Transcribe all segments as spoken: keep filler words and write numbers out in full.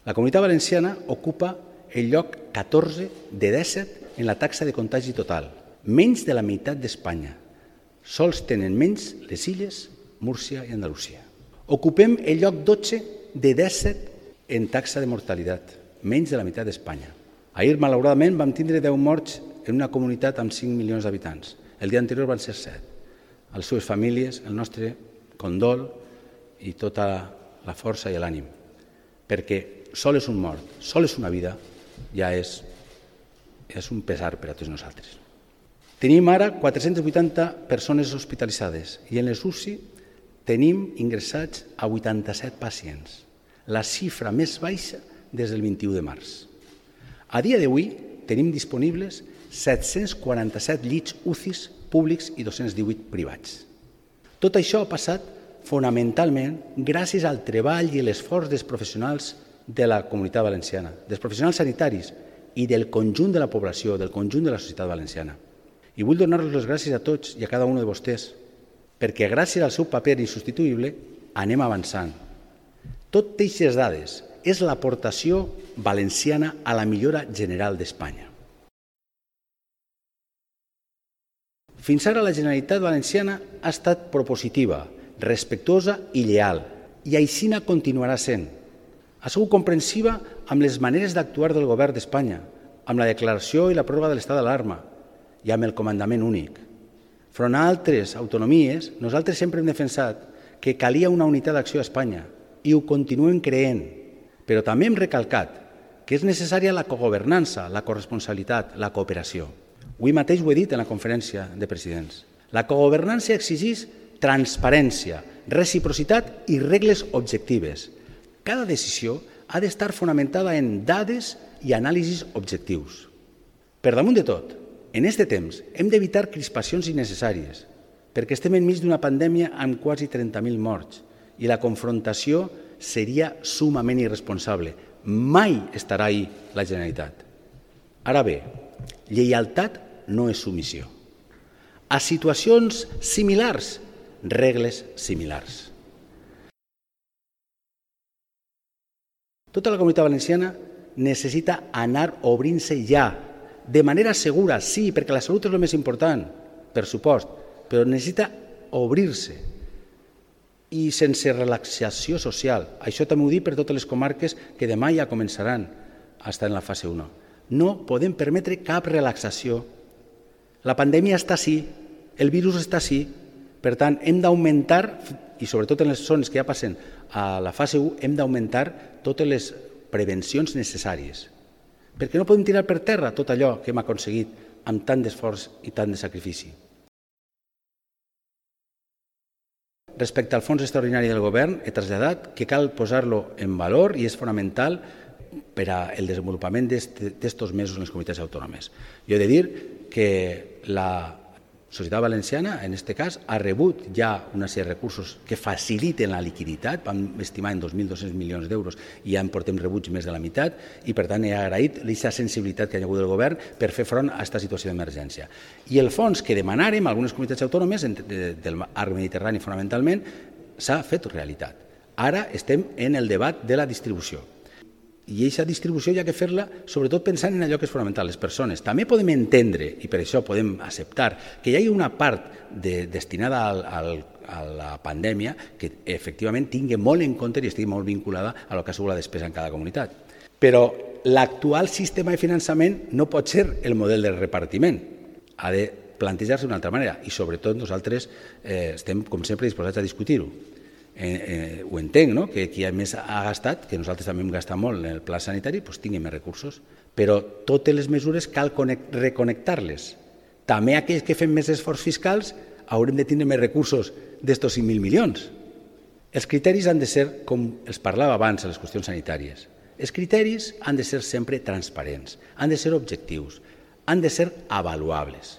La Comunitat Valenciana ocupa el lloc catorze de disset en la taxa de contagi total, menys de la meitat d'Espanya. Sols tenen menys les Illes, Múrcia i Andalusia. Ocupem el lloc dotze de disset en taxa de mortalitat, menys de la meitat d'Espanya. Ahir, malauradament, vam tindre deu morts en una comunitat amb cinc milions d'habitants. El dia anterior van ser set. A les seves famílies, el nostre condol i tota la força i l'ànim. Perquè sol és un mort, sol és una vida, ja és, és un pesar per a tots nosaltres. Tenim ara quatre-centes vuitanta persones hospitalitzades i en les U C I tenim ingressats a vuitanta-set pacients, la xifra més baixa des del vint-i-u de març. A dia d'avui tenim disponibles set-cents quaranta-set llits U C Is públics i dos-cents divuit privats. Tot això ha passat fonamentalment gràcies al treball i l'esforç dels professionals de la Comunitat Valenciana, dels professionals sanitaris i del conjunt de la població, del conjunt de la societat valenciana. I vull donar-los les gràcies a tots i a cada un de vostès, perquè gràcies al seu paper insubstituïble anem avançant. Tot aquestes dades és l'aportació valenciana a la millora general d'Espanya. Fins ara la Generalitat Valenciana ha estat propositiva, respectuosa i lleal, i aixina continuarà sent. Ha sigut comprensiva amb les maneres d'actuar del govern d'Espanya, amb la declaració i la pròrroga de l'estat d'alarma i amb el comandament únic. Front a altres autonomies, nosaltres sempre hem defensat que calia una unitat d'acció a Espanya i ho continuem creient, però també hem recalcat que és necessària la cogovernança, la corresponsabilitat, la cooperació. Avui mateix ho he dit en la conferència de presidents. La cogovernança exigeix transparència, reciprocitat i regles objectives. Cada decisió ha d'estar fonamentada en dades i anàlisis objectius. Per damunt de tot, en aquest temps hem d'evitar crispacions innecessàries, perquè estem enmig d'una pandèmia amb quasi trenta mil morts i la confrontació seria sumament irresponsable. Mai estarà ahí la Generalitat. Ara bé, lleialtat no és submissió. A situacions similars, regles similars. Tota la Comunitat Valenciana necessita anar obrint-se ja, de manera segura, sí, perquè la salut és el més important, per supost, però necessita obrir-se i sense relaxació social. Això també ho dic per totes les comarques que demà ja començaran a estar en la fase u. No podem permetre cap relaxació. La pandèmia està així, el virus està així, per tant, hem d'augmentar, i sobretot en les zones que ja passen a la fase u, hem d'augmentar totes les prevencions necessàries, perquè no podem tirar per terra tot allò que hem aconseguit amb tant d'esforç i tant de sacrifici. Respecte al fons extraordinari del govern, he traslladat que cal posar-lo en valor i és fonamental per al desenvolupament d'estos mesos en les comunitats autònomes. Jo he de dir que la societat valenciana, en aquest cas, ha rebut ja una sèrie de recursos que faciliten la liquiditat, vam estimar en dos mil dos-cents milions d'euros i ja en portem rebuts més de la meitat, i per tant he agraït aquesta sensibilitat que hi ha hagut del govern per fer front a aquesta situació d'emergència. I el fons que demanàrem a algunes comunitats autònomes, del arc mediterrani fonamentalment, s'ha fet realitat. Ara estem en el debat de la distribució. I aquesta distribució hi ha que fer-la sobretot pensant en allò que és fonamental, les persones. També podem entendre, i per això podem acceptar, que hi hagi una part de, destinada al, al, a la pandèmia que efectivament tingui molt en compte i estigui molt vinculada a lo que ha sigut la despesa en cada comunitat. Però l'actual sistema de finançament no pot ser el model de repartiment. Ha de plantejar-se d'una altra manera i sobretot nosaltres eh, estem, com sempre, disposats a discutir-ho. Eh, eh, ho entenc, no? Que qui més ha gastat, que nosaltres també hem gastat molt en el pla sanitari, doncs tingui més recursos. Però totes les mesures cal reconnectar-les. També aquells que fem més esforços fiscals haurem de tindre més recursos d'estos cinc mil milions. Els criteris han de ser, com els parlava abans a les qüestions sanitàries, els criteris han de ser sempre transparents, han de ser objectius, han de ser avaluables.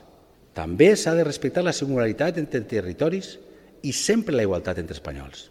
També s'ha de respectar la singularitat entre territoris i sempre la igualtat entre espanyols.